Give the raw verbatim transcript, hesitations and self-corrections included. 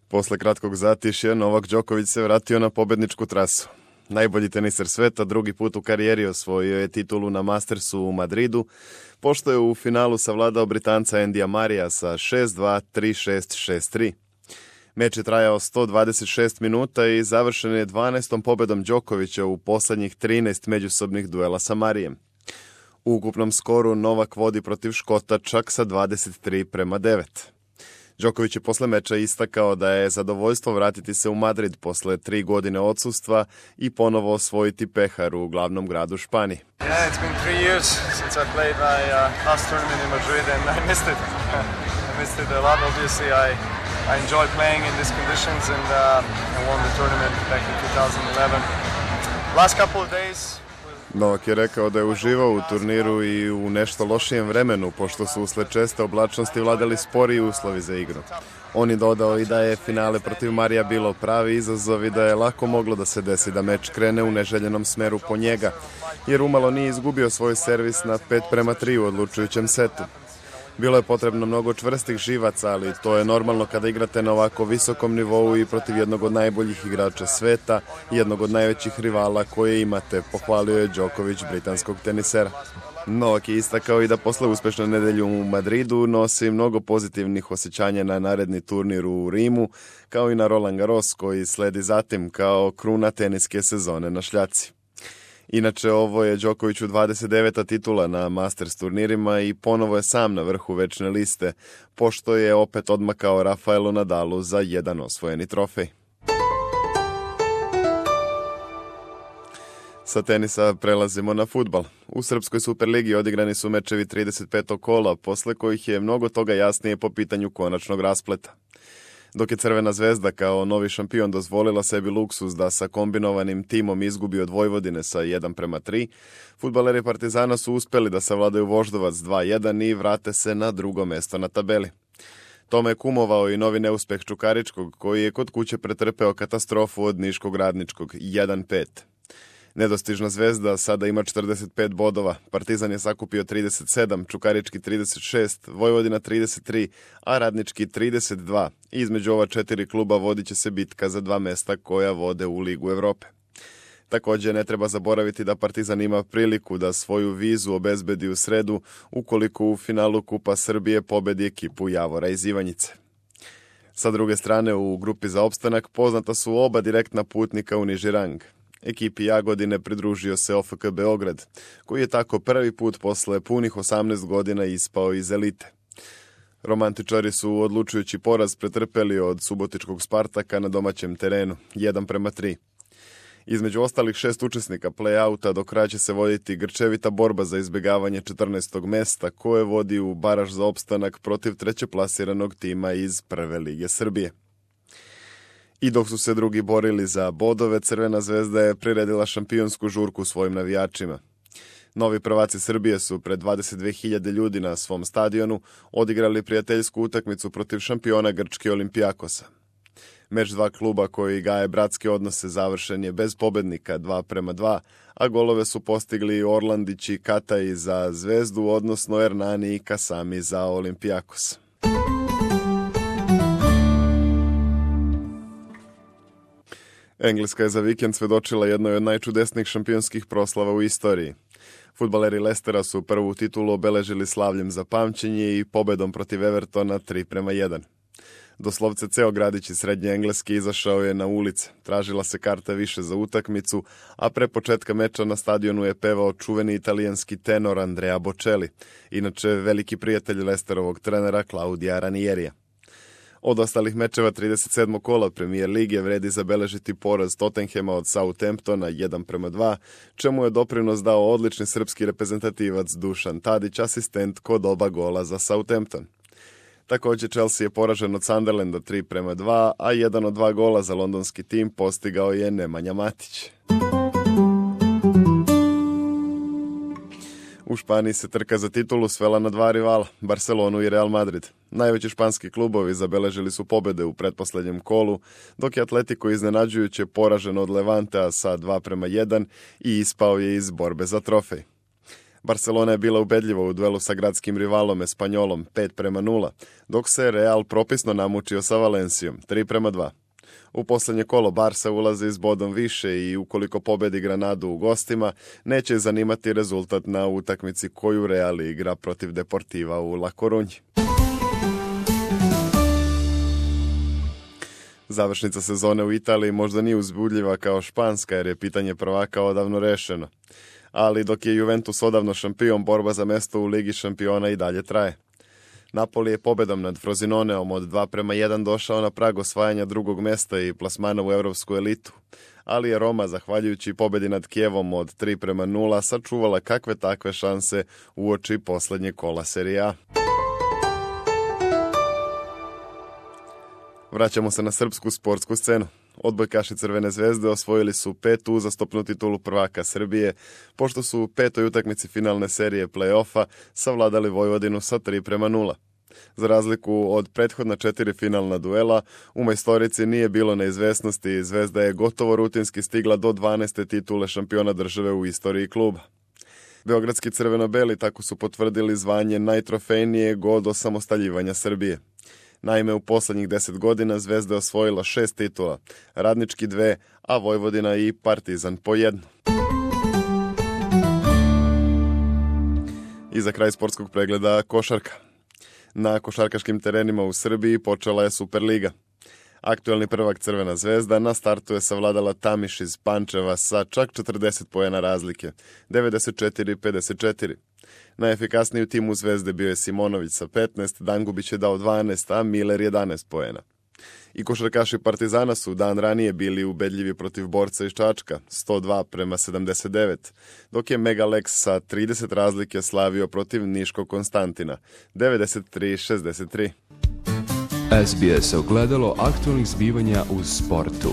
Posle kratkog zatišja, Novak Đoković se vratio na pobedničku trasu. Najbolji teniser sveta, drugi put u karijeri osvojio je titulu na Mastersu u Madridu, pošto je u finalu savladao Britanca Andyja Murraya sa šest dva, tri šest, šest tri. Meč je trajao sto dvadeset šest minuta i završen je dvanaestom pobedom Đokovića u poslednjih trinaest međusobnih duela sa Murrayem. U ukupnom skoru Novak vodi protiv Škota čak sa dvadeset tri prema devet. Đoković je posle meča istakao da je zadovoljstvo vratiti se u Madrid posle tri godine odsustva i ponovo osvojiti pehar u glavnom gradu Španije. Yeah, it's been three years since I played my uh, last tournament in Madrid and I missed it. I missed it a lot. Obviously, I I enjoy playing in these conditions and uh, I won the tournament back in two thousand eleven. Last couple of days. Novak je rekao da je uživao u turniru i u nešto lošijem vremenu, pošto su usled česte oblačnosti vladali sporiji uslovi za igru. On je dodao i da je finale protiv Murraya bilo pravi izazov i da je lako moglo da se desi da meč krene u neželjenom smeru po njega, jer umalo nije izgubio svoj servis na pet prema tri u odlučujućem setu. Bilo je potrebno mnogo čvrstih živaca, ali to je normalno kada igrate na ovako visokom nivou i protiv jednog od najboljih igrača sveta i jednog od najvećih rivala koje imate, pohvalio je Đoković britanskog tenisera. Novak je istakao i da posle uspešne nedelje u Madridu nosi mnogo pozitivnih osjećanja na naredni turnir u Rimu, kao i na Roland Garros koji sledi zatim kao kruna teniske sezone na šljaci. Inače, ovo je Đokoviću dvadeset deveta titula na Masters turnirima i ponovo je sam na vrhu večne liste, pošto je opet odmakao Rafaelu Nadalu za jedan osvojeni trofej. Sa tenisa prelazimo na fudbal. U Srpskoj Superligi odigrani su mečevi trideset petog kola, posle kojih je mnogo toga jasnije po pitanju konačnog raspleta. Dok je Crvena zvezda kao novi šampion dozvolila sebi luksuz da sa kombinovanim timom izgubi od Vojvodine sa jedan prema tri, fudbaleri Partizana su uspeli da savladaju Voždovac dva jedan i vrate se na drugo mesto na tabeli. Tome je kumovao i novi neuspeh Čukaričkog, koji je kod kuće pretrpeo katastrofu od Niškog Radničkog jedan pet. Nedostižna Zvezda sada ima četrdeset pet bodova, Partizan je sakupio trideset sedam, Čukarički trideset šest, Vojvodina trideset tri, a Radnički trideset dva. Između ova četiri kluba vodit će se bitka za dva mesta koja vode u Ligu Evrope. Također ne treba zaboraviti da Partizan ima priliku da svoju vizu obezbedi u sredu ukoliko u finalu Kupa Srbije pobedi ekipu Javora iz Ivanjice. Sa druge strane, u grupi za opstanak poznata su oba direktna putnika u niži rang. Ekipi Jagodine pridružio se O F K Beograd, koji je tako prvi put posle punih osamnaest godina ispao iz elite. Romantičari su odlučujući poraz pretrpeli od subotičkog Spartaka na domaćem terenu, jedan prema tri. Između ostalih šest učesnika play-outa do kraja će se voditi grčevita borba za izbjegavanje četrnaestog mesta, koje vodi u baraž za opstanak protiv trećeplasiranog tima iz Prve lige Srbije. I dok su se drugi borili za bodove, Crvena zvezda je priredila šampionsku žurku svojim navijačima. Novi prvaci Srbije su pred dvadeset dve hiljade ljudi na svom stadionu odigrali prijateljsku utakmicu protiv šampiona Grčke Olimpijakosa. Meč dva kluba koji gaje bratske odnose završen je bez pobednika dva prema dva, a golove su postigli Orlandić i Kataj za Zvezdu, odnosno Ernani i Kasami za Olimpijakos. Engleska je za vikend svedočila jednoj od najčudesnijih šampionskih proslava u istoriji. Fudbaleri Lestera su prvu titulu obeležili slavljem za pamćenje i pobedom protiv Evertona tri prema jedan. Doslovce ceo gradić iz Srednje Engleske izašao je na ulice, tražila se karta više za utakmicu, a pre početka meča na stadionu je pevao čuveni italijanski tenor Andrea Bocelli, inače veliki prijatelj Lesterovog trenera Claudia Ranierija. Od ostalih mečeva trideset sedmog kola Premier lige vredi zabeležiti poraz Tottenhema od Southamptona jedan prema dva, čemu je doprinos dao odlični srpski reprezentativac Dušan Tadić, asistent kod oba gola za Southampton. Također Chelsea je poražen od Sunderlanda tri prema dva, a jedan od dva gola za londonski tim postigao je Nemanja Matić. U Španiji se trka za titulu svela na dva rivala, Barcelonu i Real Madrid. Najveći španski klubovi zabeležili su pobede u pretposlednjem kolu, dok je Atletico iznenađujuće poražen od Levantea sa dva prema jedan i ispao je iz borbe za trofej. Barcelona je bila ubedljiva u duelu sa gradskim rivalom Espanjolom pet prema nula, dok se Real propisno namučio sa Valencijom tri prema dva. U posljednje kolo Barsa ulazi s bodom više i ukoliko pobedi Granadu u gostima, neće zanimati rezultat na utakmici koju Real igra protiv Deportiva u La Corunji. Završnica sezone u Italiji možda nije uzbudljiva kao španska jer je pitanje prvaka odavno rešeno. Ali dok je Juventus odavno šampion, borba za mesto u Ligi šampiona i dalje traje. Napoli je pobedom nad Frozinoneom od dva prema jedan došao na prag osvajanja drugog mesta i plasmana u europsku elitu, ali je Roma, zahvaljujući pobedi nad Kijevom od tri prema nula, sačuvala kakve takve šanse uoči posljednje kola Serie A. Vraćamo se na srpsku sportsku scenu. Odbojkaši Crvene zvezde osvojili su petu uzastopnu titulu prvaka Srbije, pošto su u petoj utakmici finalne serije play-offa savladali Vojvodinu sa tri prema nula. Za razliku od prethodna četiri finalna duela, u majstorici nije bilo neizvesnosti i Zvezda je gotovo rutinski stigla do dvanaeste titule šampiona države u istoriji kluba. Beogradski crveno-beli tako su potvrdili zvanje najtrofejnijeg od osamostaljivanja Srbije. Naime, u posljednjih deset godina Zvezda je osvojila šest titula, Radnički dve, a Vojvodina i Partizan po jednu. I za kraj sportskog pregleda košarka. Na košarkaškim terenima u Srbiji počela je Superliga. Aktuelni prvak Crvena zvezda na startu je savladala Tamiš iz Pančeva sa čak četrdeset poena razlike, devedeset četiri pedeset četiri. Najefikasniji u timu Zvezde bio je Simonović sa petnaest, Dangubić je dao dvanaest, a Miller jedanaest poena. I košarkaši Partizana su dan ranije bili ubedljivi protiv Borca iz Čačka, sto dva prema sedamdeset devet, dok je Megalex sa trideset razlike slavio protiv Niškog Konstantina, devedeset tri šezdeset tri. S B S ogledalo aktualnih zbivanja u sportu.